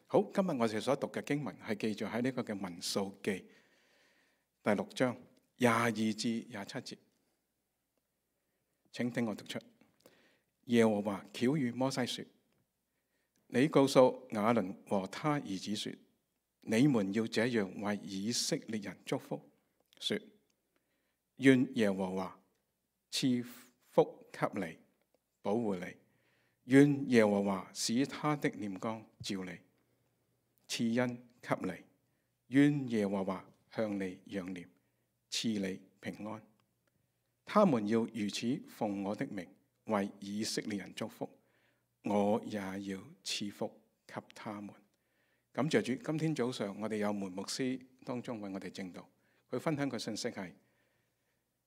好，今日我哋所讀嘅經文係記載喺呢個嘅民數記第6章22至27節，請聽我讀出。耶和華曉諭摩西說：你告訴亞倫和他兒子說，你們要這樣為以色列人祝福，說：願耶和華賜福給你，保護你；願耶和華使他的臉光照你，賜恩給你；願耶和華向你仰臉，賜你平安。他們要如此奉我的名為以色列人祝福，我也要賜福給他們。感謝主，今天早上我哋有門牧師當中為我哋證道，佢分享嘅信息係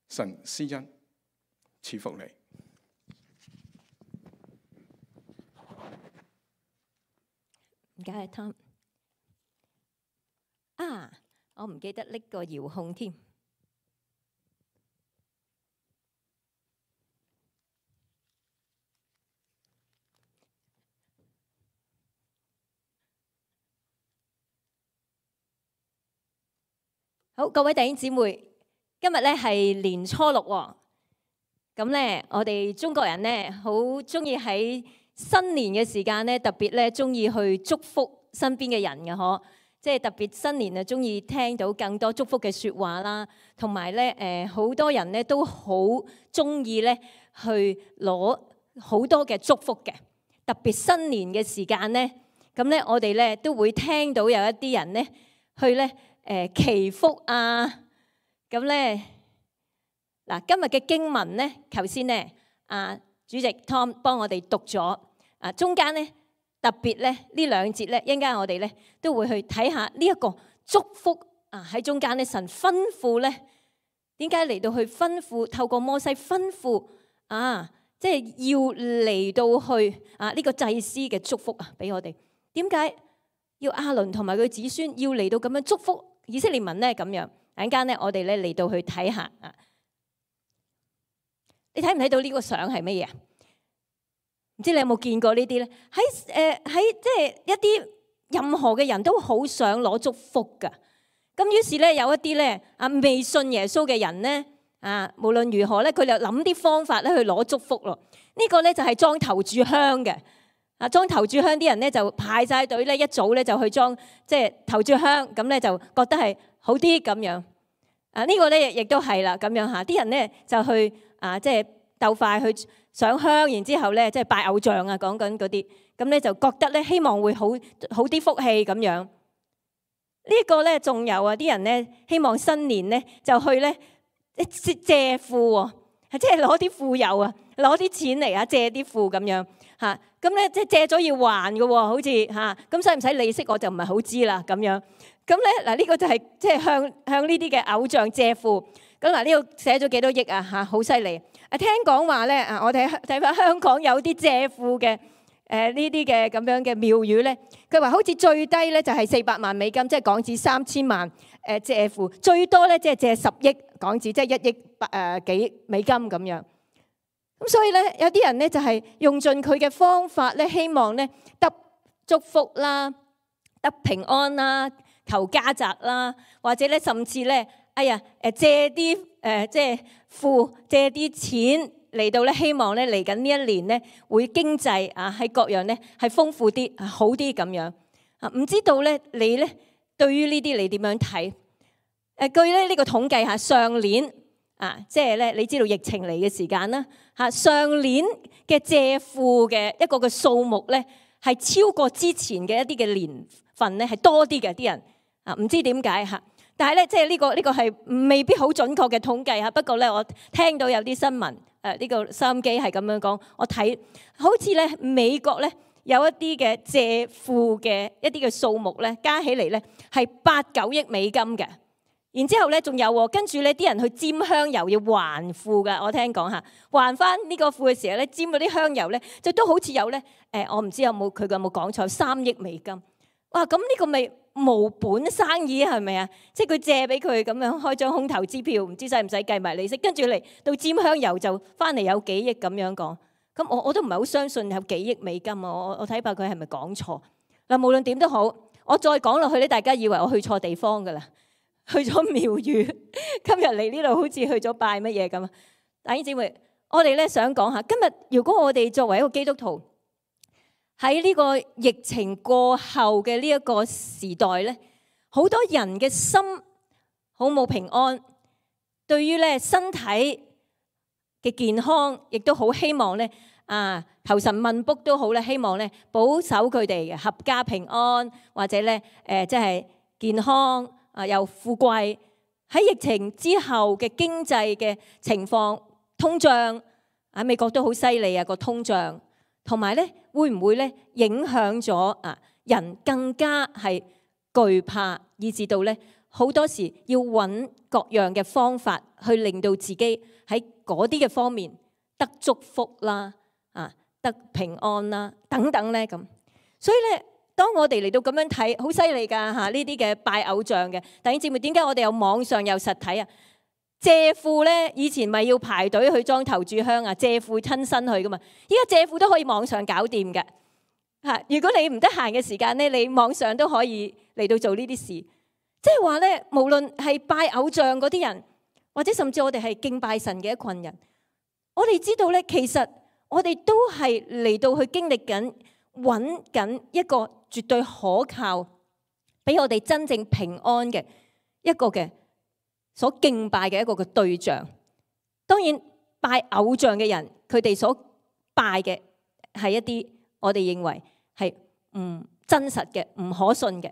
神施恩賜福你。唔該，Tom。我唔記得拎個遙控添。好，各位弟兄姊妹，今日咧係年初6喎。咁咧，我哋中國人咧好中意喺新年嘅時間咧，特別咧中意去祝福身邊嘅人嘅嗬。即係特別新年啊，中意聽到更多祝福嘅説話啦，同埋咧好多人咧都好中意咧去攞好多嘅祝福嘅。特別新年嘅時間咧，咁咧我哋咧都會聽到有一啲人咧去咧祈福啊。咁咧嗱，今日嘅經文咧，頭先咧主席 Tom 幫我哋讀咗中間咧。特別咧呢兩節咧，一陣間我哋咧都會去睇下呢一個祝福喺中間咧，神吩咐咧點解嚟到去吩咐，透過摩西吩咐即係要嚟到去呢個祭司嘅祝福俾我哋。點解要亞倫同埋佢子孫要嚟到咁樣祝福以色列民咧？咁樣一陣間咧，我哋咧嚟到去睇下你睇唔睇到呢個相係乜嘢？唔知你有冇見過呢啲咧？喺即係一啲任何嘅人都好想攞祝福噶。咁於是咧有一啲咧未信耶穌嘅人咧無論如何咧，佢就諗啲方法咧去攞祝福咯。呢個咧就係裝頭炷香嘅。裝頭炷香啲人咧就排晒隊咧，一早咧就去裝即係頭炷香，咁咧就覺得係好啲咁樣。呢個咧亦都係啦咁樣嚇。啲人咧就去即係鬥快去上香，然之後咧即係拜偶像講緊嗰啲，咁咧就覺得咧希望會好啲福氣咁樣。呢個咧仲有啲人咧希望新年咧就去咧借庫即係攞啲富有攞啲錢嚟借啲庫咁樣嚇。咁咧即係借咗要還嘅好似咁使唔使利息我就唔係好知啦咁樣。咁咧嗱呢個就係即係向呢啲嘅偶像借庫。咁嗱呢度寫咗幾多億好犀利。聽講話咧我哋睇翻香港有啲借庫嘅呢啲嘅咁樣嘅廟宇咧，佢話好似最低咧就係400萬美金，即係港紙3000萬借庫，最多咧即係借10億港紙，即係1億幾美金咁樣。咁所以咧有啲人咧就係用盡佢嘅方法咧，希望咧得祝福啦，得平安啦，求家宅啦，或者咧甚至咧借啲即係借啲錢嚟到咧，希望咧嚟緊呢一年咧會經濟喺各樣咧係豐富啲好啲咁樣。唔知道咧你咧對於呢啲你點樣睇？據咧呢個統計下上年即係咧你知道疫情嚟嘅時間啦上年嘅借庫嘅一個嘅數目咧係超過之前嘅一啲嘅年份咧係多啲嘅啲人唔知點解但係咧，即係呢個係未必好準確嘅統計。不過咧，我聽到有啲新聞，呢個收音機係咁樣講，我睇好似咧美國咧有一啲嘅借庫嘅一啲嘅數目咧，加起嚟咧係8-9億美金嘅。然之後咧仲有跟住咧啲人去沾香油要還庫㗎。我聽講還翻呢個庫嘅時候咧，沾嗰啲香油咧，就都好似有咧我唔知佢有冇講錯3億美金。哇！咁呢個咪無本生意係咪啊？即係佢借俾佢咁樣開張空頭支票，唔知使唔使計埋利息，跟住嚟到沾香油就翻嚟有幾億咁樣講。咁我都唔係好相信有幾億美金我睇怕佢係咪講錯嗱，無論點都好，我再講落去咧，大家以為我去錯地方噶啦，去咗廟宇。今日嚟呢度好似去咗拜乜嘢咁啊！弟兄姊妹，我哋咧想講下，今日如果我哋作為一個基督徒喺呢個疫情過後嘅呢一個時代咧，好多人嘅心好冇平安，對於咧身體嘅健康，亦都好希望咧求神問卜都好咧，希望咧保守佢哋嘅合家平安，或者咧即係健康又富貴。喺疫情之後嘅經濟嘅情況，通脹美國都好犀利啊個通脹，同埋咧會唔會咧影響咗人更加係懼怕，以至到咧好多時要揾各樣嘅方法去令到自己喺嗰啲嘅方面得祝福啦，得平安啦等等咧咁。所以咧，當我哋嚟到咁樣睇，好犀利㗎呢啲嘅拜偶像嘅弟兄姊妹，點解我哋有網上有實體啊？謝父咧以前咪要排隊去裝頭炷香啊，謝父親身去㗎嘛，依家謝父都可以網上搞掂嘅。如果你唔得閒嘅時間咧，你網上都可以嚟到做呢啲事。即係話咧，無論係拜偶像嗰啲人，或者甚至我哋係敬拜神嘅一群人，我哋知道咧，其實我哋都係嚟到去經歷緊、揾緊一個絕對可靠，俾我哋真正平安嘅一個嘅所敬拜嘅一個嘅對象。當然，拜偶像嘅人，佢哋所拜嘅係一啲我哋認為係唔真實嘅、唔可信嘅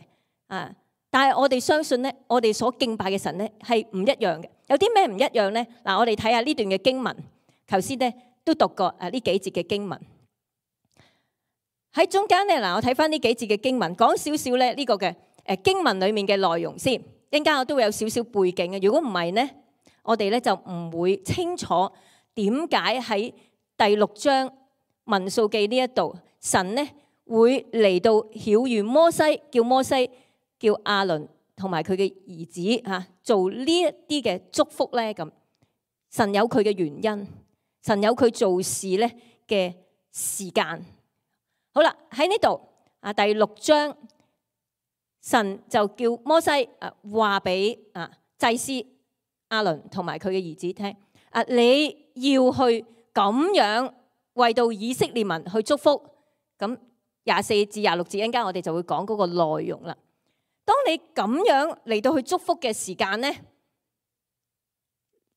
但係我哋相信咧，我哋所敬拜嘅神咧係唔一樣嘅。有啲咩唔一樣咧？我哋睇下呢段嘅經文。頭先咧都讀過呢幾節嘅經文。喺中間咧我睇翻呢幾節嘅經文，講少少咧呢個嘅經文裡面嘅內容先。一陣間我都會有少少背景嘅。如果唔係咧，我哋咧就唔會清楚點解喺第6章民數記呢一度，神咧會嚟到曉諭摩西，叫摩西叫亞倫同埋佢嘅兒子做呢一啲嘅祝福咧咁。神有佢嘅原因，神有佢做事咧嘅時間。好啦，喺呢度第6章，神就叫摩西話俾祭司亞倫同埋佢嘅兒子聽你要去咁樣為到以色列民去祝福。咁24至26節，一陣間我哋就會講嗰個內容啦。當你咁樣嚟到去祝福嘅時間呢，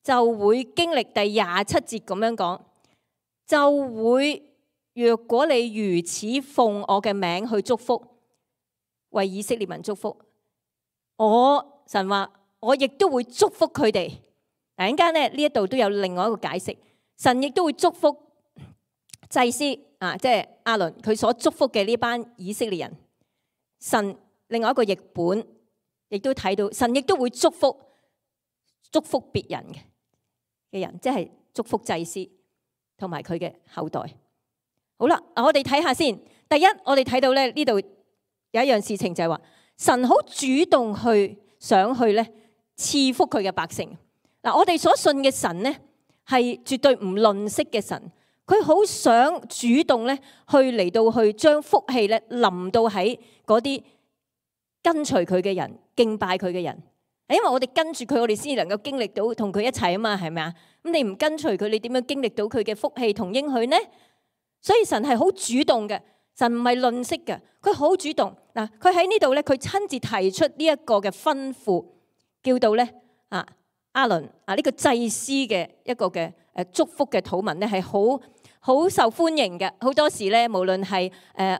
就會經歷第27節咁樣講，就會若果你如此奉我嘅名去祝福，為以色列民祝福，神話我亦都會祝福佢哋。嗱，一陣間咧呢一度都有另外一個解釋，神亦都會祝福祭司即係亞倫佢所祝福嘅呢班以色列人。神另外一個譯本亦都睇到，神亦都會祝福別人嘅人，即係祝福祭司同埋佢嘅後代。好啦，我哋睇下先。第一，我哋睇到咧呢度有一樣事情就係話，神好主動想去咧賜福佢嘅百姓。嗱，我哋所信嘅神咧係絕對唔吝嗇嘅神，佢好想主動咧去嚟到去將福氣咧臨到喺嗰啲跟隨佢嘅人、敬拜佢嘅人。因為我哋跟住佢，我哋先能夠經歷到同佢一齊啊嘛，係咪啊？咁你唔跟隨佢，你點樣經歷到佢嘅福氣同應許呢？所以神係好主動嘅，神唔係吝嗇嘅，佢好主動。嗱，佢喺呢度咧，佢親自提出呢一個嘅吩咐，叫到咧亞倫呢個祭司嘅一個嘅祝福嘅禱文咧，係好受歡迎嘅。好多時咧，無論係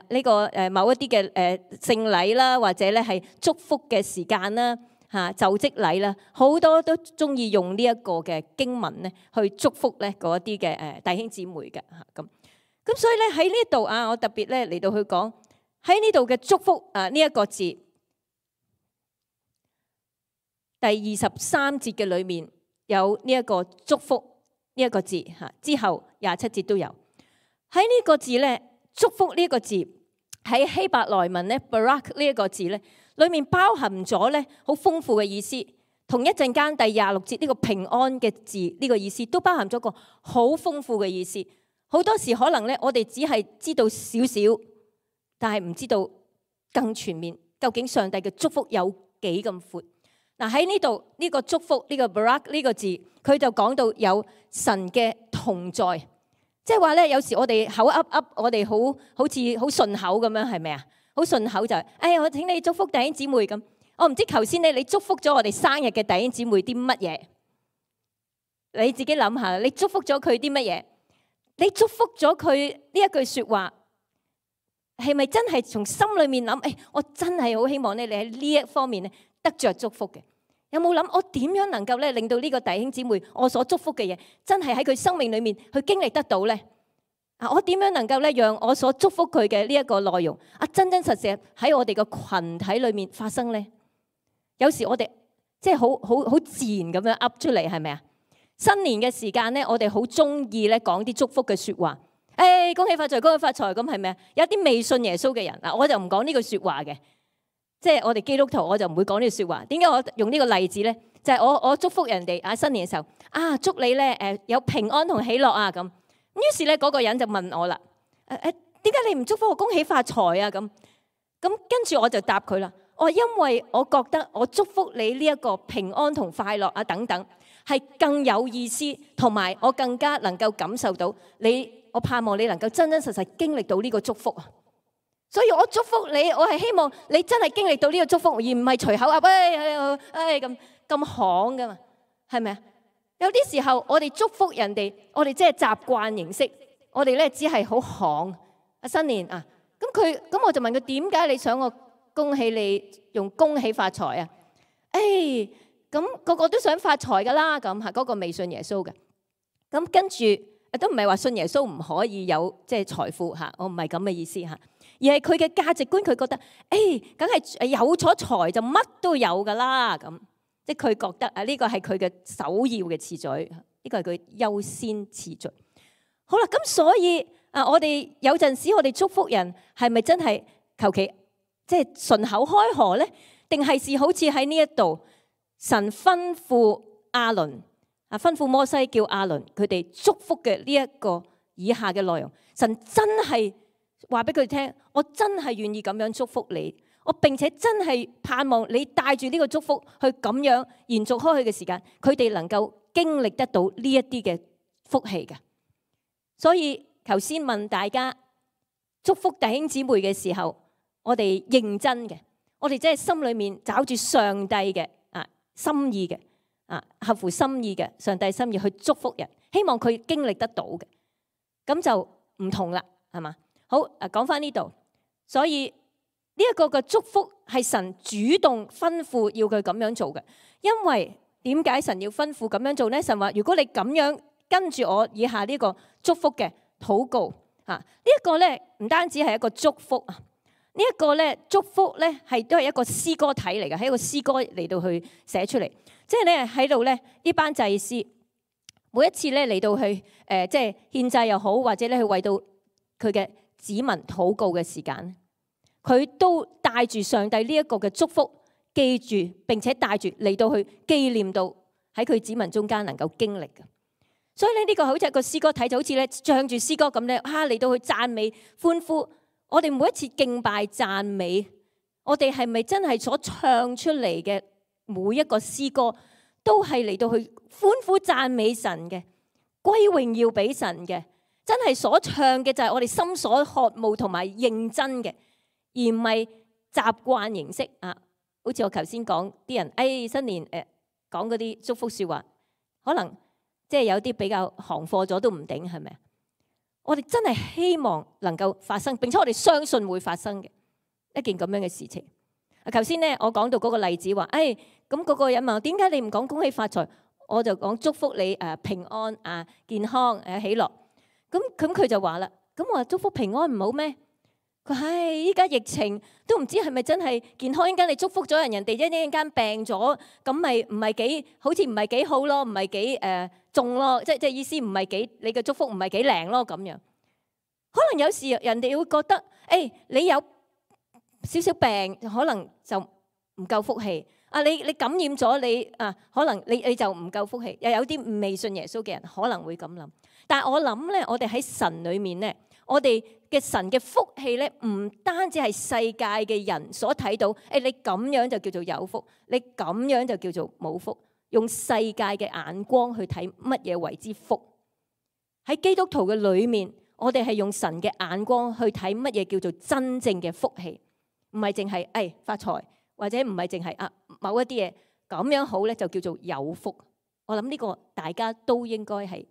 呢個某一啲嘅聖禮啦，或者咧係祝福嘅時間啦，就職禮啦，好多都中意用呢一個嘅經文咧去祝福咧嗰一啲嘅弟兄姊妹嘅咁所以咧喺呢度我特別咧嚟到去講喺呢度嘅祝福呢一個字，第23節嘅裏面有呢一個祝福呢一個字之後27節都有。喺呢個字咧，祝福呢一個字喺希伯來文咧 Barak 呢一個字咧裏面包含咗咧好豐富嘅意思，同一陣間第26節呢個平安嘅字呢個意思都包含咗個好豐富嘅意思。好多時可能咧我哋只係知道少少，但係唔知道更全面。究竟上帝嘅祝福有幾咁闊？嗱，喺呢度呢個祝福呢個 barak 呢個字，佢就講到有神嘅同在，即係話咧，有時我哋口噏噏，我哋好似好順口咁樣，係咪啊？好順口就係，我請你祝福弟兄姊妹咁。我唔知頭先咧，你祝福咗我哋生日嘅弟兄姊妹啲乜嘢？你自己諗下，你祝福咗佢啲乜嘢？你祝福咗佢呢一句說話，係咪真係從心裏面諗？我真係好希望咧，你喺呢一方面咧得着祝福嘅。有冇諗我點樣能夠咧令到呢個弟兄姊妹我所祝福嘅嘢，真係喺佢生命裏面去經歷得到咧？我點樣能夠咧讓我所祝福佢嘅呢一個內容真真實實喺我哋個群體裏面發生咧？有時我哋即係好自然咁樣噏出嚟，係咪啊？新年嘅時間咧，我哋好中意咧講啲祝福嘅說話。恭喜發財，恭喜發財，咁係咪啊？有啲未信耶穌嘅人嗱，我就唔講呢句說話嘅。即係我哋基督徒，我就唔會講呢句說話。點解我用呢個例子咧？就係我祝福人哋新年嘅時候祝你咧有平安同喜樂啊咁。於是咧嗰個人就問我啦，點解你唔祝福我恭喜發財啊？咁跟住我就答佢啦。因為我覺得我祝福你呢一個平安同快樂等等，係更有意思，同埋我更加能夠感受到你。我盼望你能夠真真實實經歷到呢個祝福啊！所以我祝福你，我係希望你真係經歷到呢個祝福，而唔係隨口咁行噶嘛，係咪啊？有啲時候我哋祝福人哋，我哋即係習慣形式，我哋咧只係好行新年咁我就問佢，點解你想我恭喜你用恭喜發財啊？咁個個都想發財噶啦，咁嗰個未信耶穌嘅，咁跟住都唔係話信耶穌唔可以有即係財富我唔係咁嘅意思而係佢嘅價值觀，佢覺得梗係有咗財就乜都有噶啦，咁即係佢覺得呢個係佢嘅首要嘅次序，呢個係佢優先次序。好啦，咁所以我哋有陣時我哋祝福人係咪真係求其即係順口開河咧？定係好似喺呢一度神吩咐亞倫吩咐摩西叫亞倫佢哋祝福嘅呢一個以下嘅內容，神真係話俾佢聽，我真係願意咁樣祝福你，我並且真係盼望你帶住呢個祝福去咁樣延續開去嘅時間，佢哋能夠經歷得到呢一啲嘅福氣嘅。所以頭先問大家祝福弟兄姊妹嘅時候，我哋認真嘅，我哋真係心裏面找住上帝嘅心意嘅合乎心意嘅上帝心意去祝福人，希望佢經歷得到嘅，咁就唔同啦，係嘛？好，講翻呢度，所以呢一個嘅祝福係神主動吩咐要佢咁樣做嘅。因為點解神要吩咐咁樣做呢？神話如果你咁樣跟住我以下呢個祝福嘅禱告呢一個咧唔單止係一個祝福呢一個咧祝福咧都係一個詩歌體嚟嘅，係一個詩歌嚟到去寫出嚟。即係咧喺度咧呢班祭司每一次咧嚟到去即係獻祭又好，或者咧去為到佢嘅子民禱告嘅時間，佢都帶住上帝呢一個嘅祝福，記住並且帶住嚟到去紀念到喺佢子民中間能夠經歷嘅。所以咧呢個好似一個詩歌體，就好似咧唱住詩歌咁咧嚟到去讚美歡呼。我哋每一次敬拜讚美，我哋係咪真係所唱出嚟嘅每一個詩歌都係嚟到去歡呼讚美神嘅，歸榮耀俾神嘅？真係所唱嘅就係我哋心所渴慕同埋認真嘅，而唔係習慣形式好似我頭先講啲人新年講嗰啲祝福說話，可能即係有啲比較行貨咗都唔頂，係咪啊？我哋真係希望能夠發生，並且我哋相信會發生嘅一件咁樣嘅事情。頭先咧我講到嗰個例子話，咁嗰個人問點解你唔講恭喜發財？我就講祝福你平安健康喜樂。咁佢就話啦，咁我話祝福平安唔好咩？佢依家疫情都唔知係咪真係健康，一陣間你祝福咗人哋一陣間病咗，咁咪唔係幾好似唔係幾好咯，唔係幾重咯，即係意思唔係幾你嘅祝福唔係幾靈咯咁樣。可能有時人哋會覺得你有少少病，可能就唔夠福氣。你感染咗你可能你就唔夠福氣。又有啲未信耶穌嘅人可能會咁諗。但係我諗咧，我哋喺神裏面咧，我哋嘅神嘅福氣咧，唔單止係世界嘅人所睇到，你咁樣就叫做有福，你咁樣就叫做冇福。用世界嘅眼光去睇乜嘢為之福。喺基督徒嘅裏面，我哋係用神嘅眼光去睇乜嘢叫做真正嘅福氣，唔係淨係發財，或者唔係淨係某一啲嘢咁樣好咧就叫做有福。我諗呢個大家都應該係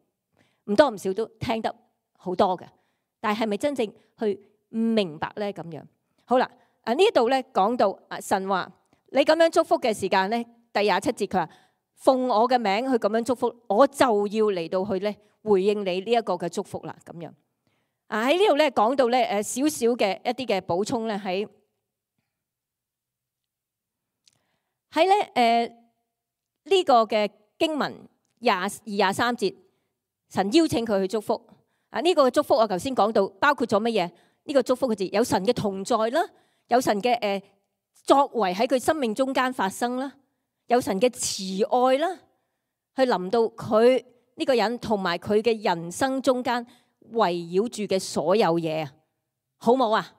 唔多唔少都聽得好多嘅，但係咪真正去明白咧咁樣？好啦，呢度咧講到神話你咁樣祝福嘅時間咧，第27節佢話奉我嘅名去咁樣祝福，我就要嚟到去咧回應你呢一個嘅祝福啦咁樣。喺呢度咧講到咧少少嘅一啲嘅補充咧喺咧呢個嘅經文22、23節，神邀請佢去祝福。呢個嘅祝福我頭先講到包括咗乜嘢？呢個祝福嘅字有神嘅同在啦，有神嘅作為喺佢生命中間發生啦，有神嘅慈愛啦，去臨到佢呢個人同埋佢嘅人生中間圍繞住嘅所有嘢啊，好冇啊？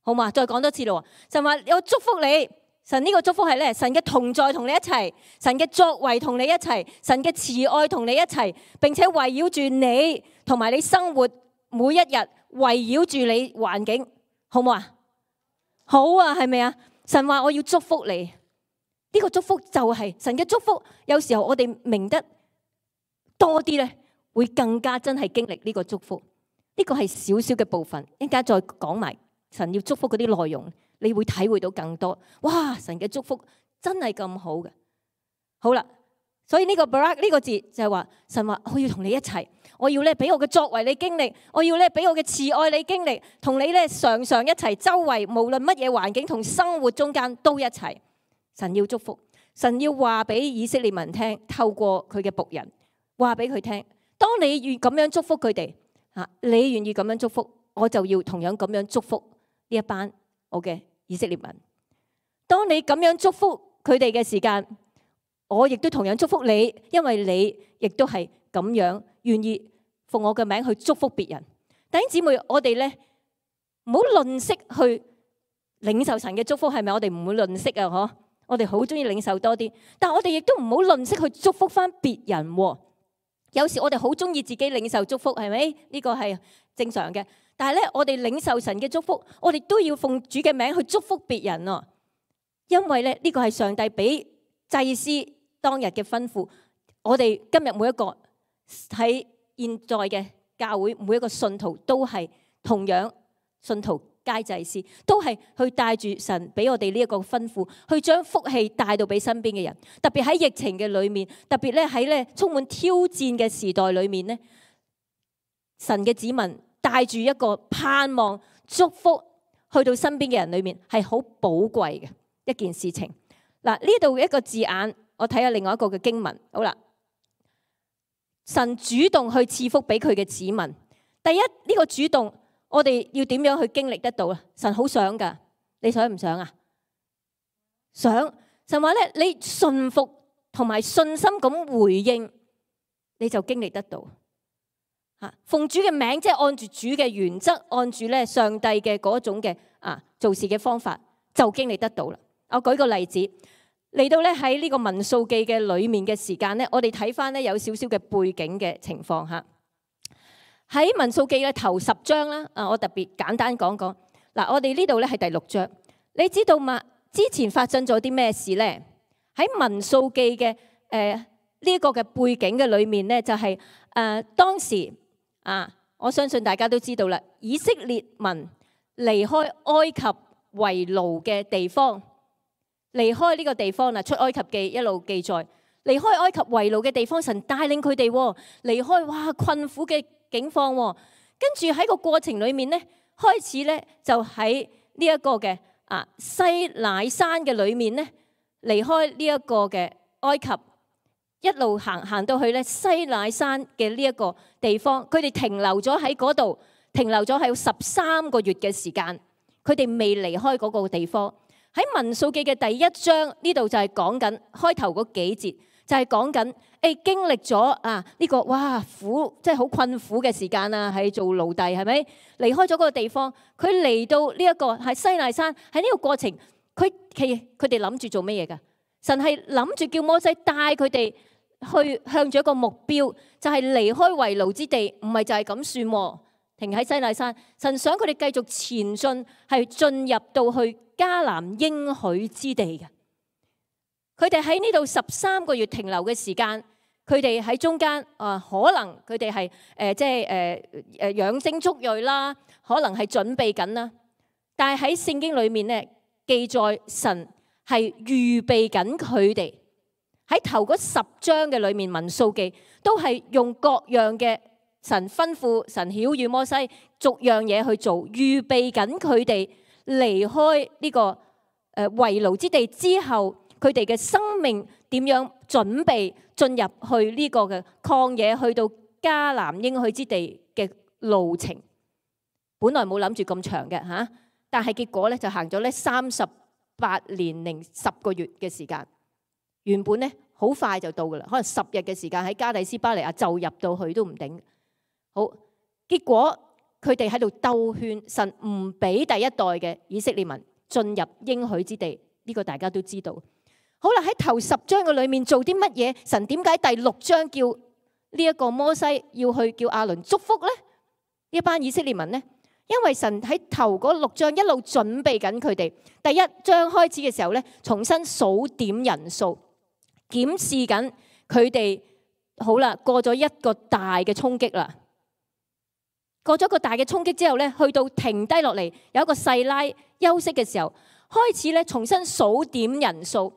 好嘛？再講多次咯，神話我祝福你。神呢個祝福係咧，神嘅同在同你一齊，神嘅作為同你一齊，神嘅慈愛同你一齊，並且圍繞住你同埋你生活每一日，圍繞住你環境，好唔好啊？好啊，係咪啊？神話我要祝福你，呢個祝福就係神嘅祝福。有時候我哋明得多啲咧，會更加真係經歷呢個祝福。呢個係少少嘅部分，一陣間再講埋神要祝福嗰啲內容。你會體會到更多，哇！神嘅祝福真係咁好嘅。好啦，所以呢個 barak 呢個字就係話神話我要同你一齊，我要咧俾我嘅作為你經歷，我要咧俾我嘅慈愛你經歷，同你咧常常一齊，周圍無論乜嘢環境同生活中間都一齊。神要祝福，神要話俾以色列民聽，透過佢嘅僕人話俾佢聽，當你願咁樣祝福佢哋，你願意咁樣祝福，我就要同樣咁樣祝福呢一班我嘅以色列民。當你咁樣祝福佢哋嘅時間，我亦都同樣祝福你，因為你亦都係咁樣願意奉我嘅名去祝福別人。弟兄姊妹，我哋咧唔好吝嗇去領受神嘅祝福，係咪？我哋唔會吝嗇啊，嗬！我哋好中意領受多啲，但係我哋亦都唔好吝嗇去祝福翻別人。有時我哋好中意自己領受祝福，係咪？呢個係正常嘅。但係咧，我哋領受神嘅祝福，我哋都要奉主嘅名去祝福別人啊！因為咧，呢個係上帝俾祭司當日嘅吩咐。我哋今日每一個喺現在嘅教會，每一個信徒都係同樣信徒皆祭司，都係去帶住神俾我哋呢一個吩咐，去將福氣帶到俾身邊嘅人。特別喺疫情嘅裏面，特別咧喺咧充滿挑戰嘅時代裏面咧，神嘅子民帶住一個盼望祝福去到身邊嘅人裏面，係好寶貴嘅一件事情。嗱，呢度一個字眼，我睇下另外一個嘅經文。好啦，神主動去賜福俾佢嘅子民。第一，呢個主動，我哋要點樣去經歷得到啊？神好想噶，你想唔想啊？想。神話咧，你順服同埋信心咁回應，你就經歷得到。奉主嘅名，即係按住主嘅原則，按住咧上帝嘅嗰種嘅做事嘅方法，就經歷得到啦。我舉個例子，嚟到咧喺呢個民數記嘅裏面嘅時間咧，我哋睇翻咧有少少嘅背景嘅情況吓。喺民數記嘅頭10章啦，我特別簡單講講。嗱，我哋呢度咧係第6章，你知道嘛？之前發生咗啲咩事咧？喺民數記嘅呢一個嘅背景嘅裏面咧，就係當時。我相信大家都知道啦，以色列民離開埃及為奴嘅地方，離開呢個地方啦，出埃及記一路記載，離開埃及為奴嘅地方，神帶領佢哋離開困苦嘅境況，跟住喺個過程裏面咧，開始咧就喺呢一個嘅西乃山嘅裏面咧，離開呢一個嘅埃及。一路行到去咧西乃山嘅呢一個地方，佢哋停留咗喺嗰度，停留咗喺13個月嘅時間，佢哋未離開嗰個地方。喺民數記嘅第1章呢度就係講緊開頭嗰幾節，就係講緊經歷咗呢個哇苦，即係好困苦嘅時間啊，係做奴隸係咪？離開咗嗰個地方，佢嚟到呢一個係西奈山，喺呢個過程，佢哋諗住做乜嘢㗎？神係諗住叫摩西帶佢哋去向住一個目標，就係離開為奴之地，唔係就係咁算喎。停喺西奈山，神想佢哋繼續前進，係進入到去迦南應許之地嘅。佢哋喺呢度13個月停留嘅時間，佢哋喺中間可能佢哋係養精蓄銳啦，可能係準備緊啦。但係喺聖經裏面咧記載，神係預備緊佢哋喺頭嗰10章嘅裏面，民數記都係用各樣嘅神吩咐、神曉諭摩西逐樣嘢去做，預備緊佢哋離開呢個為奴之地之後。佢哋嘅生命點樣準備進入去呢個嘅曠野，去到迦南應許之地嘅路程？本來冇諗住咁長嘅嚇，但係結果咧就行咗咧38年零10個月嘅時間。原本咧好快就到噶啦，可能10日嘅時間喺加底斯巴尼亞就入到去都唔定。好，結果佢哋喺度兜圈，神唔俾第一代嘅以色列民進入應許之地，呢個大家都知道。好啦，喺頭10章嘅裏面做啲乜嘢？神點解第6章叫呢一個摩西要去叫亞倫祝福呢？呢一班以色列民呢？因為神喺頭嗰6章一路準備緊佢哋。第1章開始嘅時候呢，重新數點人數，檢視緊佢哋。好啦，過咗一個大嘅衝擊啦。過咗一個大嘅衝擊之後呢，去到停低落嚟，有一個細拉休息嘅時候，開始咧重新數點人數。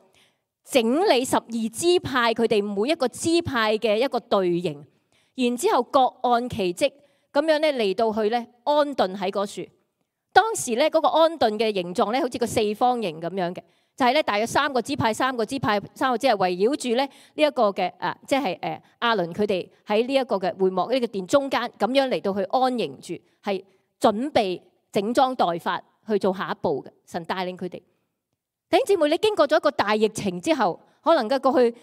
整理12支派，佢哋每一個支派嘅一個隊形，然之後各按其職，咁樣咧嚟到去咧安頓喺嗰處。當時咧嗰個安頓嘅形狀咧，好似個四方形咁樣嘅，就係咧大約3個支派圍繞住咧呢一個嘅即係亞倫佢哋喺呢一個嘅會幕呢個殿中間，咁樣嚟到去安營住，係準備整裝待發去做下一步嘅。神帶領佢哋。弟兄姊妹，你經過咗一個大疫情之後，可能嘅過去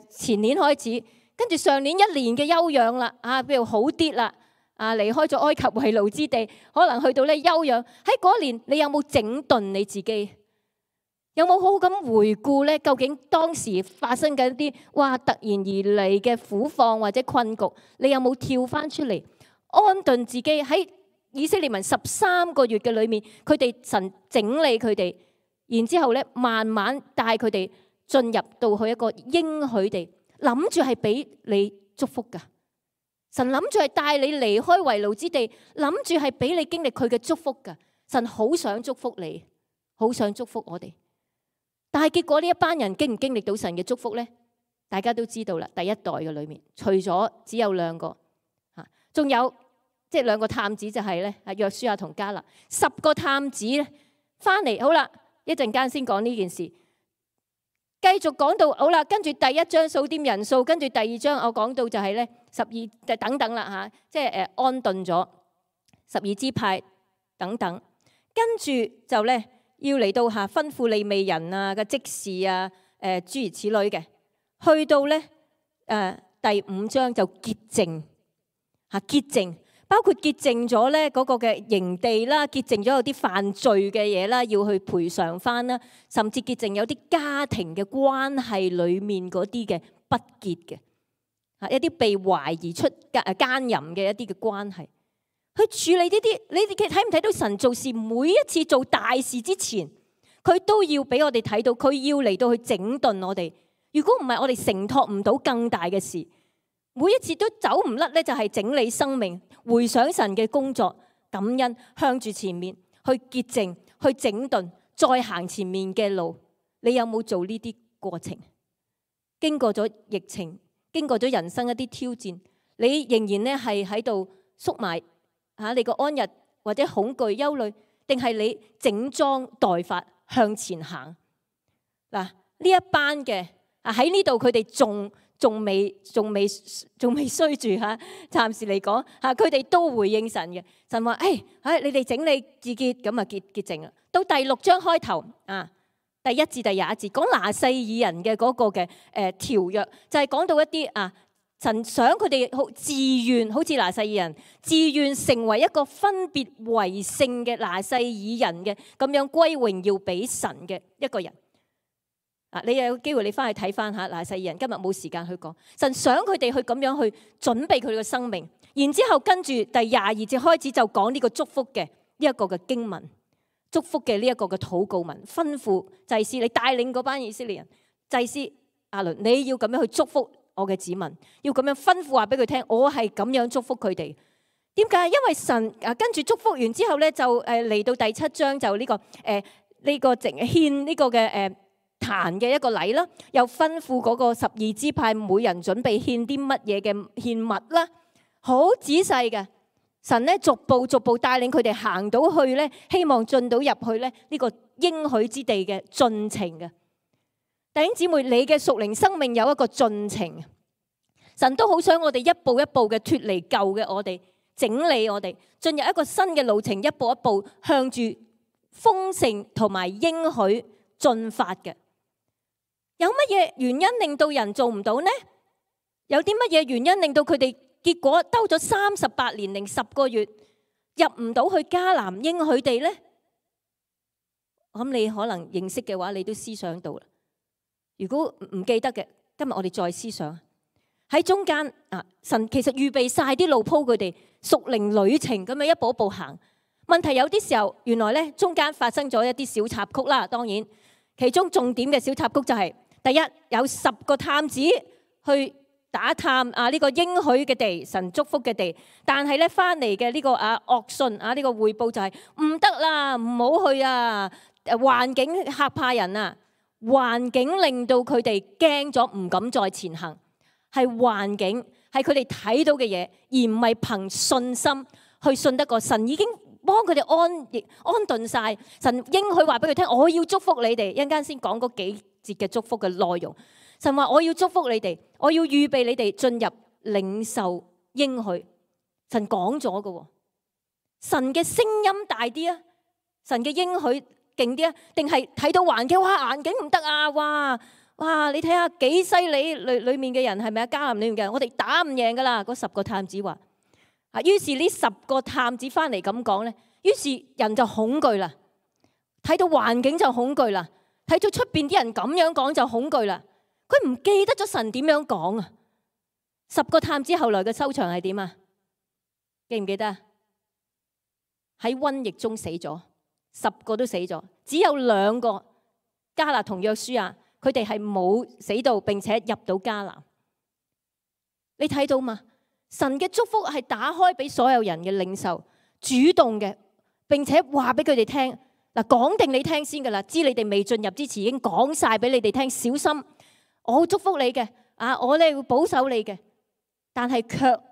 前年開始，跟住上年1年嘅休養啦，譬如好啲啦，離開咗埃及為奴之地，可能去到咧休養。喺嗰年，你有冇整頓你自己？有冇好好咁回顧咧？究竟當時發生緊啲突然而嚟嘅苦況或者困局，你有冇跳翻出嚟安頓自己？喺以色列民13個月嘅裏面，佢哋神整理佢哋。然之後咧，慢慢帶佢哋進入到去一個應許地，諗住係俾你祝福噶。神諗住係帶你離開為奴之地，諗住係俾你經歷佢嘅祝福噶。神好想祝福你，好想祝福我哋。但係結果呢一班人經唔經歷到神嘅祝福咧？大家都知道啦。第一代嘅裏面，除咗只有2個，仲有即係2個探子就係咧，約書亞同迦勒，10個探子咧翻嚟，好啦。一陣間先講呢件事，繼續講到好啦。跟住第1章數點人數，跟住第2章我講到就係咧12等等啦即係安頓咗12支派等等。跟住就咧要嚟到吩咐利未人嘅職事諸如此類嘅，去到咧第5章就潔淨潔淨。包括潔淨咗咧嗰個嘅營地啦，潔淨咗有啲犯罪嘅嘢啦，要去賠償翻啦，甚至潔淨有啲家庭嘅關係裡面嗰啲嘅不潔嘅，一啲被懷疑出奸淫嘅一啲嘅關係，去處理呢啲。你哋睇唔睇到神做事每一次做大事之前，佢都要俾我哋睇到，佢要嚟到去整頓我哋。如果唔係，我哋承托唔到更大嘅事。每一次都走唔甩咧，就係整理生命，回想神嘅工作，感恩，向住前面去潔淨，去整頓，再行前面嘅路。你有冇做呢啲過程？經過咗疫情，經過咗人生一啲挑戰，你仍然咧係喺度縮埋你個安逸或者恐懼憂慮，定係你整裝待發向前行？嗱，呢一班嘅喺呢度，佢哋仲未衰住嚇，暫時嚟講嚇，佢哋都回應神嘅。神話你哋整理自潔，咁啊潔淨啦。到第6章開頭第1至第21節講拿細耳人嘅嗰個嘅條約，就係講到一啲神想佢哋好自願，好似拿細耳人自願成為一個分別為聖嘅拿細耳人嘅咁樣歸榮耀俾神嘅一個人。你有機會你翻去睇翻下拿細耳人，今日冇時間去講。神想佢哋去咁樣去準備佢哋嘅生命，然之後跟住第22節開始就講呢個祝福嘅呢一個嘅經文，祝福嘅呢一個嘅禱告文，吩咐祭司你帶領嗰班以色列人，祭司亞倫你要咁樣去祝福我嘅子民，要咁樣吩咐話俾佢聽，我係咁樣祝福佢哋。點解？因為神跟住祝福完之後咧，就嚟到第7章就呢個獻呢個嘅壇嘅一個禮啦，又吩咐嗰個12支派每人準備獻啲乜嘢嘅獻物啦，好仔細嘅。神咧逐步帶領佢哋行到去咧，希望進到入去咧呢個應許之地嘅進程嘅。弟兄姊妹，你嘅屬靈生命有一個進程，神都好想我哋一步一步嘅脫離舊嘅我哋，整理我哋，進入一個新嘅路程，一步一步向住豐盛同埋應許進發嘅。有乜嘢原因令到人做唔到呢？有啲乜嘢原因令到佢哋結果兜咗38年零10個月入唔到去迦南應許地呢？咁你可能認識嘅話，你都思想到啦。如果唔記得嘅，今日我哋再思想喺中間神其實預備晒啲路鋪佢哋屬靈旅程咁樣一步一步行。問題有啲時候原來咧中間發生咗一啲小插曲啦。當然其中重點嘅小插曲就係第一，有10個探子去打探呢個應許嘅地，神祝福嘅地，但係咧翻嚟嘅呢個惡訊呢個匯報就係唔得啦，唔好去啊！環境嚇怕人啊，環境令到佢哋驚咗，唔敢再前行。係環境，係佢哋睇到嘅嘢，而唔係憑信心去信得過神。已經幫佢哋安頓晒，神應許話俾佢聽，我要祝福你哋。一陣間先講嗰幾節嘅祝福嘅內容。神話我要祝福你哋，我要預備你哋進入領受應許。神講咗嘅，神嘅聲音大啲啊，神嘅應許勁啲啊，定係睇到環境，哇，環境唔得啊，哇，你睇下幾犀利，裏面嘅人係咪啊？迦南裏面嘅人，我哋打唔贏噶啦。嗰10個探子話於是呢10個探子翻嚟咁講咧，於是人就恐懼啦，睇到環境就恐懼啦，睇到出邊啲人咁樣講就恐懼啦。佢唔記得咗神點樣講啊！10個探子後來嘅收場係點啊？記唔記得啊？喺瘟疫中死咗，10個都死咗，只有2個迦勒同約書亞，佢哋係冇死到，並且入到迦南。你睇到嘛？神嘅祝福係打開俾所有人嘅領受，主動嘅，並且話俾佢哋聽嗱，講定你聽先噶啦，知你哋未進入之前已經講晒俾你哋聽，小心。我會祝福你嘅，我咧會保守你嘅，但係卻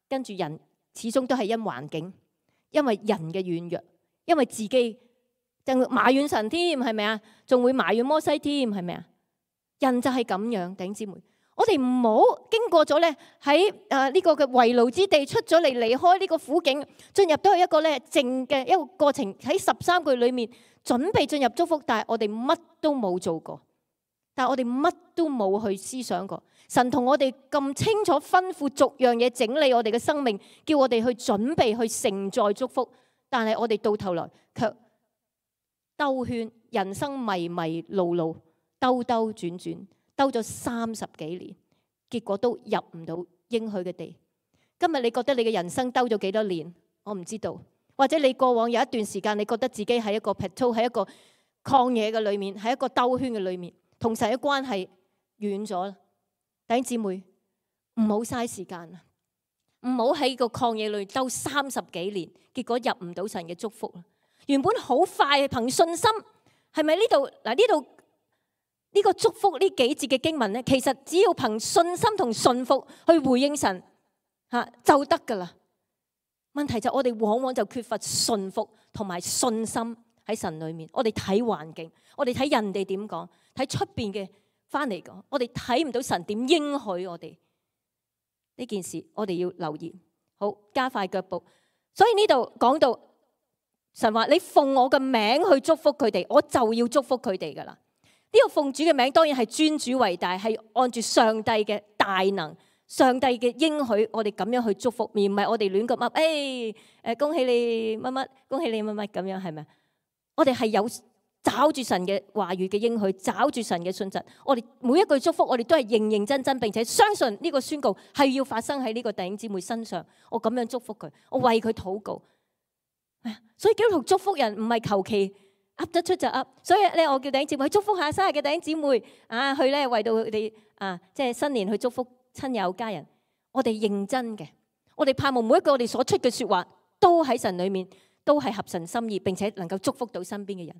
跟住人始終都係因環境，因為人嘅軟弱，因為自己就埋怨神添，係咪啊？仲會埋怨摩西添，係咪啊？人就係咁樣，弟兄姊妹，我哋唔好經過咗咧喺呢個嘅為奴之地出咗嚟，離開呢個苦境，進入到一個咧靜嘅一個過程，喺13個月裏面準備進入祝福，但係我哋乜都冇做過。但係我哋乜都冇去思想過，神同我哋咁清楚吩咐逐樣嘢整理我哋嘅生命，叫我哋去準備去承載祝福。但係我哋到頭來卻兜圈，人生迷迷路路，兜兜轉轉，兜咗30幾年，結果都入唔到應許嘅地。今日你覺得你嘅人生兜咗幾多年？我唔知道。或者你過往有一段時間，你覺得自己喺一個 plateau，喺一個曠野嘅裏面，喺一個兜圈嘅裏面。同神嘅關係遠咗，弟兄姊妹唔好嘥時間啊！唔好喺個曠野裏兜30幾年，結果入唔到神嘅祝福。原本好快憑信心，係咪呢度嗱？呢度呢個祝福呢幾節嘅經文咧，其實只要憑信心同信服去回應神就得噶啦。問題就我哋往往就缺乏信服同埋信心喺神裏面。我哋睇環境，我哋睇人哋點講。喺出邊嘅翻嚟講，我哋睇唔到神點應許我哋呢件事，我哋要留意。好，加快腳步。所以呢度講到神話你奉我嘅名去祝福佢哋，我就要祝福佢哋噶啦。呢個奉主嘅名當然係尊主為大，係按住上帝嘅大能、上帝嘅應許，我哋咁樣去祝福，而唔係我哋亂咁噏，恭喜你乜乜，恭喜你乜乜咁樣，係咪？我哋係有找住神嘅話語嘅應許，找住神嘅信實。我哋每一句祝福，我哋都係認認真真，並且相信呢個宣告係要發生喺呢個弟兄姊妹身上。我咁樣祝福佢，我為佢禱告。所以基督徒祝福人唔係求其噏得出就噏。所以咧，我叫弟兄姊妹去祝福下生日嘅弟兄姊妹啊，去咧為到佢哋啊，即係新年去祝福親友家人。我哋認真嘅，我哋盼望每一個我哋所出嘅說話都喺神裏面，都係合神心意，並且能夠祝福到身邊嘅人。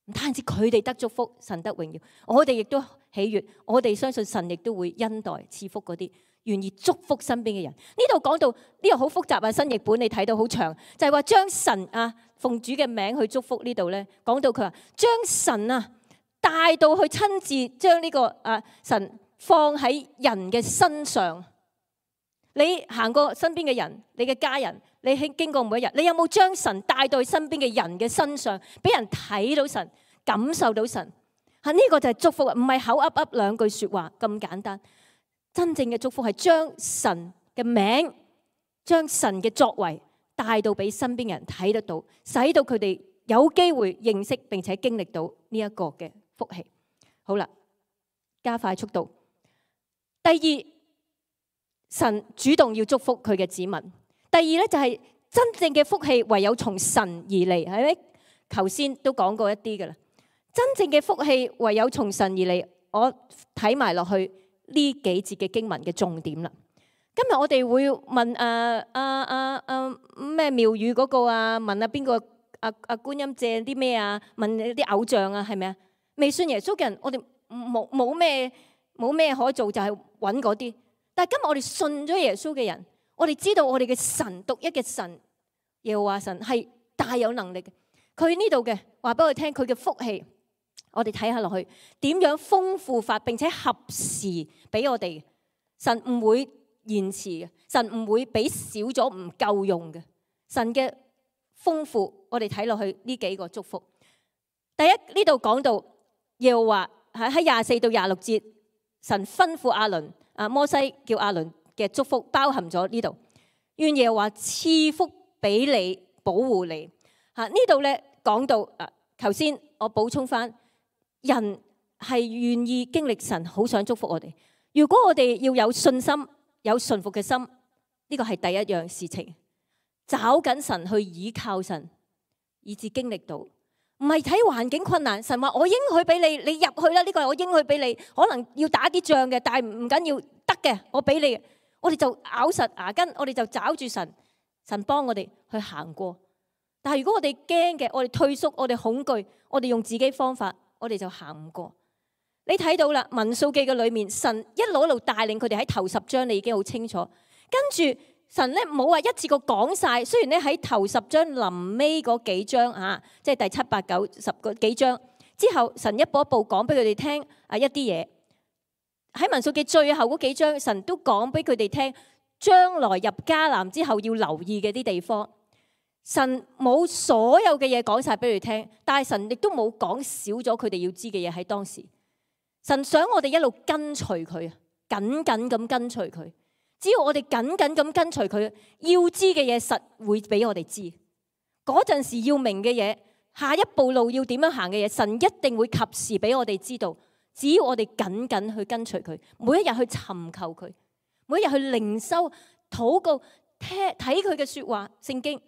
唔單止佢哋得祝福，神得榮耀，我哋亦都喜悅。我哋相信神亦都會恩待賜福嗰啲願意祝福身邊嘅人。呢度講到呢個好複雜啊，新譯本你睇到好長，就係話將神啊奉主嘅名去祝福。呢度咧講到佢話將神啊帶到去親自將呢個神放喺人嘅身上。你行過身邊嘅人，你嘅家人，你經過每一日，你有冇將神帶到身邊嘅人嘅身上，俾人睇到神，感受到神？呢個就係祝福，唔係口噏噏兩句說話咁簡單。真正嘅祝福係將神嘅名、將神嘅作為帶到俾身邊嘅人睇得到，使到佢哋有機會認識並且經歷到呢一個嘅福氣。好啦，加快速度。第二，神主動要祝福佢嘅子民。第二咧就係真正嘅福氣唯有從神而嚟，係咪？頭先都講過一啲噶啦。真正嘅福氣唯有從神而嚟。我睇埋落去呢幾節嘅經文嘅重點啦。今日我哋會問咩廟宇嗰個啊，問邊個觀音借啲咩啊？問啲偶像啊，係咪啊？未信耶穌嘅人，我哋冇咩可做，就係揾嗰啲。但係今日我哋信咗耶穌嘅人，我哋知道我哋嘅神獨一嘅神耶和華神係大有能力嘅。佢呢度嘅話俾我哋聽，佢嘅福氣，我哋睇下落去點樣豐富法，並且合時俾我哋。神唔會延遲嘅，神唔會俾少咗唔夠用嘅。神嘅豐富，我哋睇落去呢幾個祝福。第一，呢度講到耶和華喺24到26節，神吩咐亞倫。摩西叫亞倫嘅祝福包含咗呢度，願耶和華賜福俾你，保護你。呢度咧講到頭先我補充翻，人係願意經歷神，好想祝福我哋。如果我哋要有信心、有順服嘅心，呢個係第一樣事情。找緊神去倚靠神，以至經歷到。唔係睇環境困難，神話我應許俾你，你入去啦。呢個係我應許俾你，可能要打啲仗嘅，但係唔緊要，得嘅，我俾你。我哋就咬實牙根，我哋就找住神，神幫我哋去行過。但係如果我哋驚嘅，我哋退縮，我哋恐懼，我哋用自己方法，我哋就行唔過。你睇到啦，民數記嘅裏面，神一路帶領佢哋喺頭10章，你已經好清楚。跟住。神咧冇話一次過講晒，雖然咧喺頭10章臨尾嗰幾章即係第7、8、9、10個幾章之後，神一步一步講俾佢哋聽一啲嘢。喺民數記最後嗰幾章，神都講俾佢哋聽，將來入迦南之後要留意嘅啲地方。神冇所有嘅嘢講晒俾佢哋聽，但係神亦都冇講少咗佢哋要知嘅嘢喺當時。神想我哋一路跟隨佢，緊緊咁跟隨佢。只要我哋緊緊咁跟隨佢，要知嘅嘢實會俾我哋知。嗰陣時要明嘅嘢，下一步路要點樣行嘅嘢，神一定會及時俾我哋知道。只要我哋緊緊去跟隨佢，每一日去尋求佢，每一日去靈修、禱告、睇佢嘅說話、聖經、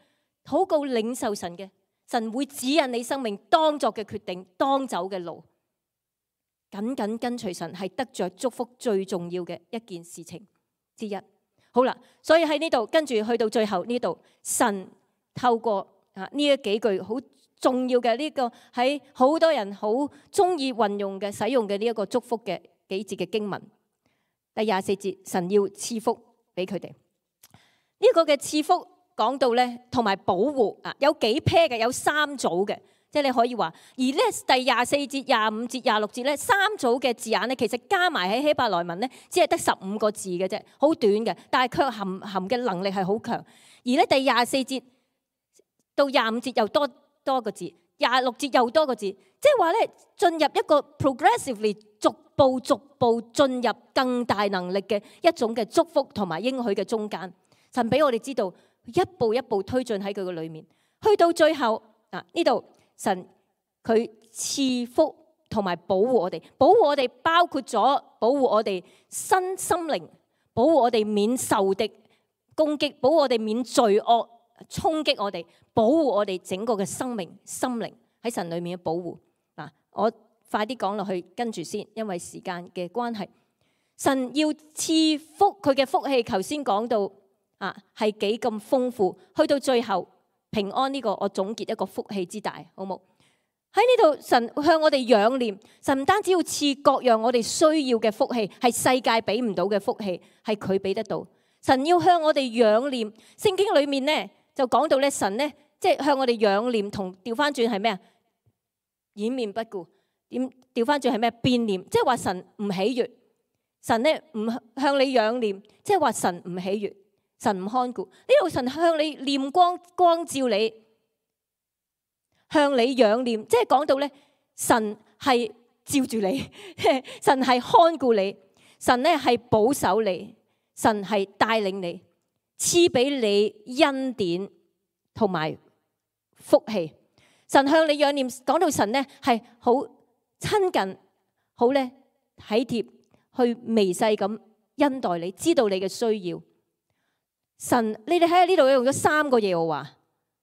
禱告、領受神嘅，神會指引你生命當作嘅決定、當走嘅路。緊緊跟隨神係得着祝福最重要嘅一件事情之一。好啦，所以喺呢度跟住去到最後呢度，神透過呢一幾句好重要嘅呢個喺好多人好中意運用嘅使用嘅呢一個祝福嘅幾節嘅經文。第24節，神要賜福俾佢哋。呢個嘅賜福講到咧，同埋保護有幾 pair 嘅，有3組嘅。即係你可以話，而呢第24節、25節、26節咧3組嘅字眼咧，其實加埋喺希伯來文咧，只係得15個字嘅啫，好短嘅，但係卻含嘅能力係好強。而咧第24節到25節又多個字，26節又多個字，即係話咧進入一個 progressively 逐步進入更大能力嘅一種嘅祝福同埋應許嘅中間。神俾我哋知道一步一步推進喺佢嘅裏面，去到最後呢度神佢賜福同埋保護我哋，保護我哋包括咗保護我哋身心靈，保護我哋免受敵攻擊，保護我哋免罪惡衝擊我哋，保護我哋整個嘅生命心靈喺神裏面嘅保護。我快啲講落去，跟住先，因為時間嘅關係。神要賜福佢嘅福氣，頭先講到係幾咁豐富，去到最後平安呢個，我總結一個福氣之大，好冇？喺呢度神向我哋仰念，神唔單止要賜各樣我哋需要嘅福氣，係世界俾唔到嘅福氣，係佢俾得到。神要向我哋仰念，聖經裏面咧就講到咧，神咧即係向我哋仰念，同調翻轉係咩啊？掩面不顧，點調翻轉係咩？變念，即係話神唔喜悅，神咧唔向你仰念，即係話神唔喜悅，神唔看顧。呢度神向你念光照你，向你仰念，即係講到咧，神係照住你，神係看顧你，神咧係保守你，神係帶領你，賜俾你恩典同埋福氣。神向你仰念，講到神咧係好親近，好咧體貼，去微細咁恩待你，知道你嘅需要。神，你哋睇下呢度用咗3個耶和華，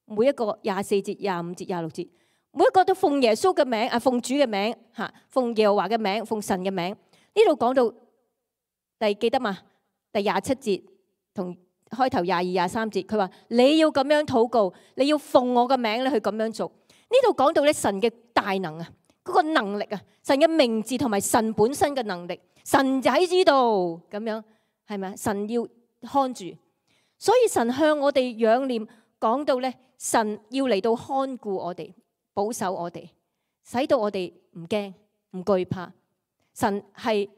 每一個24節、25節、26節，每一個都奉耶穌嘅名，奉主嘅名，奉耶和華嘅名，奉神嘅名。呢度講到記得嘛？第27節同開頭22、23節，佢話你要咁樣禱告，你要奉我嘅名咧去咁樣做。呢度講到咧神嘅大能啊，嗰個能力啊，神嘅名字同埋神本身嘅能力，神就喺呢度咁樣，係咪啊？神要看住，所以神向我哋仰念，講到咧神要嚟到看顧我哋，保守我哋，使到我哋唔驚唔懼怕。神係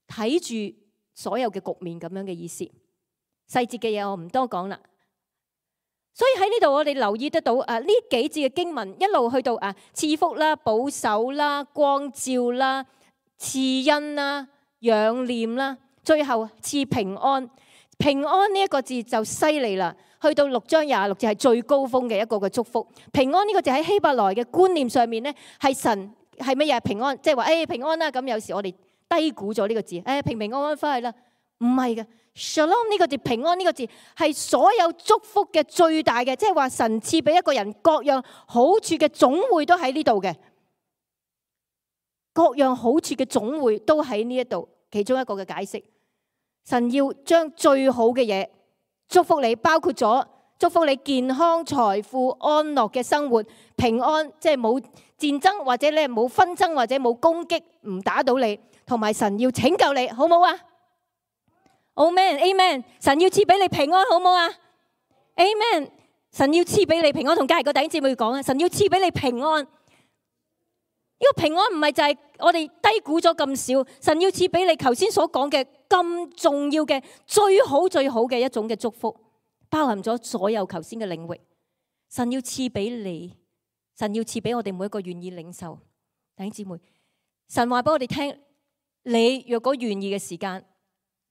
睇住所有嘅局面咁樣嘅意思，細節嘅嘢我唔多講啦。所以喺呢度我哋留意得到呢幾節嘅經文一路去到賜福啦、保守啦、光照啦、賜恩啦、仰念啦，最後賜平安。平安呢一個字就犀利啦，去到6章26節係最高峰嘅一個嘅祝福。平安呢個字喺希伯來嘅觀念上面咧，係神係乜嘢？平安，即係話平安啦。咁有時我哋低估咗呢個字，平平安安翻去啦，唔係嘅。Shalom 呢個字，平安呢個字係所有祝福嘅最大嘅，即係話神賜俾一個人各樣好處嘅總匯都喺呢度嘅，各樣好處嘅總匯都喺呢一度。其中一個嘅解釋，神要將最好嘅嘢祝福你，包括咗祝福你健康、財富、安樂嘅生活、平安，即係冇戰爭或者咧冇紛爭或者冇攻擊唔打到你，同埋神要拯救你，好唔好啊？Amen，Amen， 神要賜俾你平安，好唔好啊 ？Amen， 神要賜俾你平安，同隔籬個弟兄姊妹講啊，神要賜俾你平安。呢個平安唔係就係我哋低估咗咁少，神要賜俾你頭先所講嘅咁重要嘅最好嘅一種嘅祝福，包含咗所有頭先嘅領域。神要賜俾你，神要賜俾我哋每一個願意領受弟兄姊妹。神話俾我哋聽，你若果願意嘅時間，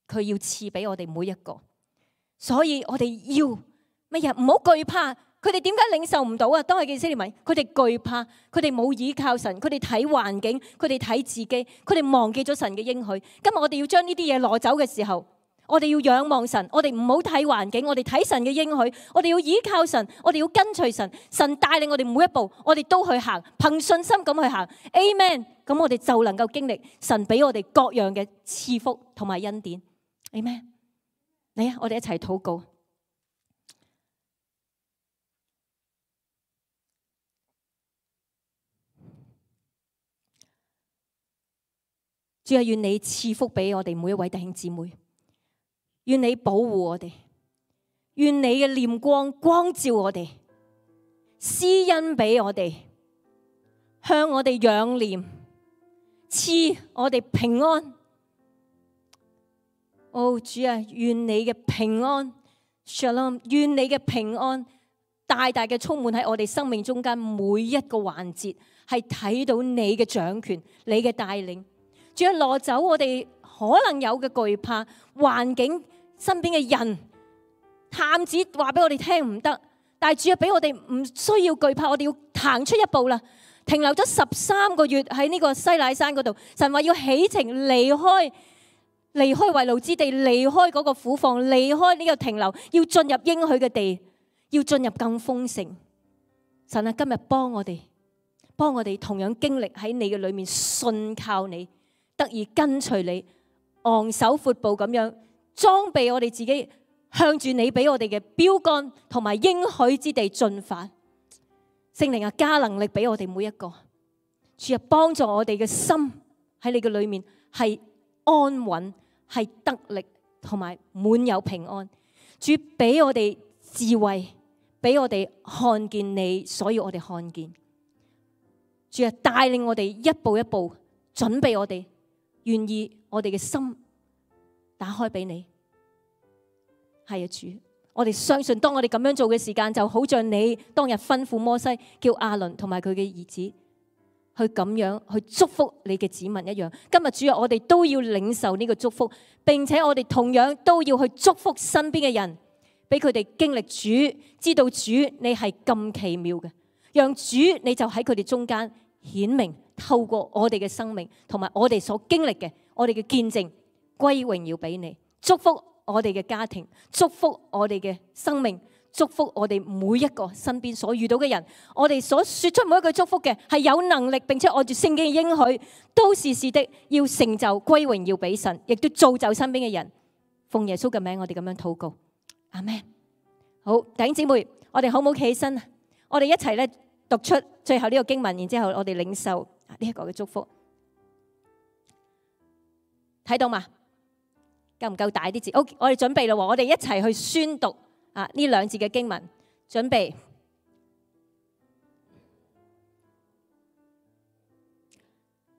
佢要賜俾我哋每一個，所以我哋要乜嘢？唔好懼怕。佢哋點解領受唔到啊？當係以色列民，佢哋懼怕，佢哋冇依靠神，佢哋睇環境，佢哋睇自己，佢哋忘記咗神嘅應許。今日我哋要將呢啲嘢攞走嘅時候，我哋要仰望神，我哋唔好睇環境，我哋睇神嘅應許，我哋要依靠神，我哋要跟隨神，神帶領我哋每一步，我哋都去行，憑信心咁去行。Amen。咁我哋就能夠經歷神俾我哋各樣嘅賜福同埋恩典。Amen。嚟啊，我哋一齊禱告。主啊，願你賜福俾我哋每一位弟兄姊妹，願你保護我哋，願你嘅臉光光照我哋，施恩俾我哋，向我哋仰念，賜我哋平安。主啊，願你嘅平安 Shalom， 願你嘅平安大大嘅充滿喺我哋生命中間每一個環節，係睇到你嘅掌權、你嘅帶領。主啊，攞走我哋可能有嘅懼怕，環境身邊嘅人探子話俾我哋聽唔得，但係主啊，俾我哋唔需要懼怕，我哋要行出一步啦。停留咗13個月喺呢個西乃山嗰度，神話要起程離開為奴之地，離開嗰個苦況，離開呢個停留，要進入應許嘅地，要進入更豐盛。神啊，今日幫我哋同樣經歷喺你嘅裏面，信靠你，得以跟隨你，昂首闊步咁樣裝備我哋自己，向住你俾我哋嘅標杆同埋應許之地進發。聖靈啊，加能力俾我哋每一個，主啊，幫助我哋嘅心喺你嘅裏面係安穩，係得力同埋滿有平安。主俾我哋智慧，俾我哋看見你，所以我哋看見。主啊，帶領我哋一步一步，準備我哋，願意我哋嘅心打開俾你。係啊，主，我哋相信當我哋咁樣做嘅時間，就好像你當日吩咐摩西叫亞倫同埋佢嘅兒子去咁樣去祝福你嘅子民一樣。今日主啊，我哋都要領受呢個祝福，並且我哋同樣都要去祝福身邊嘅人，俾佢哋經歷主，知道主你係咁奇妙嘅，讓主你就喺佢哋中間顯明，透過我哋嘅生命同埋我哋所經歷嘅，我哋嘅見證歸榮耀俾你，祝福我哋嘅家庭，祝福我哋嘅生命，祝福我哋每一個身邊所遇到嘅人，我哋所說出每一句祝福嘅係有能力，並且按住聖經嘅應許，都是的，要成就歸榮耀俾神，亦都造就身邊嘅人。奉耶穌嘅名，我哋咁樣禱告，阿們。好，弟兄姊妹，我哋好唔好企起身？我哋一齊咧讀出最後呢個經文，然之後我哋領受呢一個嘅祝福。睇到嘛？夠唔夠大啲字？好，我哋準備啦，我哋一齊去宣讀呢兩節嘅經文。準備，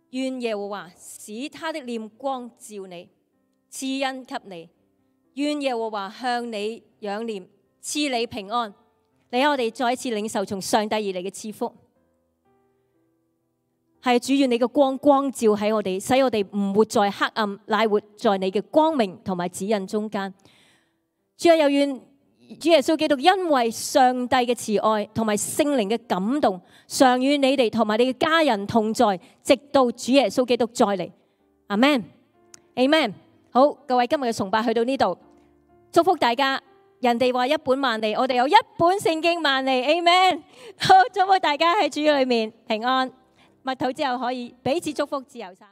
願耶和華使他的臉光照你，賜恩給你；願耶和華向你仰臉，賜你平安。嚟，我哋再一次領受從上帝而嚟嘅賜福。係主，願你嘅光照喺我哋，使我哋唔活在黑暗，乃活在你嘅光明同埋指引中間。主啊，又願主耶穌基督因為上帝嘅慈愛同埋聖靈嘅感動，常與你哋同埋你嘅家人同在，直到主耶穌基督再嚟。阿們，阿們。好，各位，今日嘅崇拜去到呢度，祝福大家。人哋話一本萬利，我哋有一本聖經萬利。阿們。好，祝福大家喺主裏面平安。默禱之後可以彼此祝福，自由散。